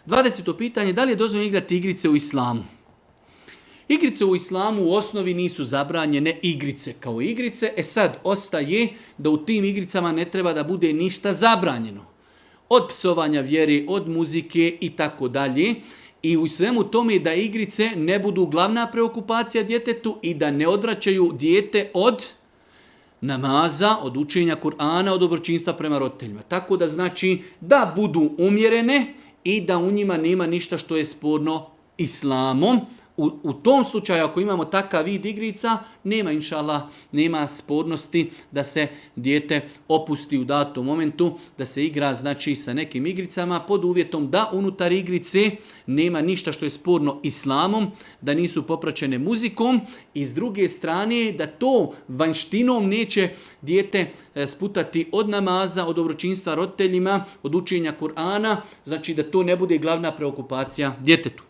20. pitanje, da li je dozvoljeno igrati igrice u islamu? Igrice u islamu u osnovi nisu zabranjene igrice kao igrice. Sad ostaje da u tim igricama ne treba da bude ništa zabranjeno. Od psovanja vjere, od muzike i tako dalje. I u svemu tome da igrice ne budu glavna preokupacija djetetu i da ne odvraćaju dijete od namaza, od učenja Kur'ana, od dobročinstva prema roditeljima. Tako da znači da budu umjerene i da u njima nema ništa što je sporno islamom. U tom slučaju, ako imamo takav vid igrica, nema inšallah, nema spornosti da se dijete opusti u datom momentu, da se igra znači sa nekim igricama pod uvjetom da unutar igrice nema ništa što je sporno islamom, da nisu popraćene muzikom i s druge strane da to vanjštinom neće dijete sputati od namaza, od dobročinstva roditeljima, od učenja Kur'ana, znači da to ne bude glavna preokupacija djetetu.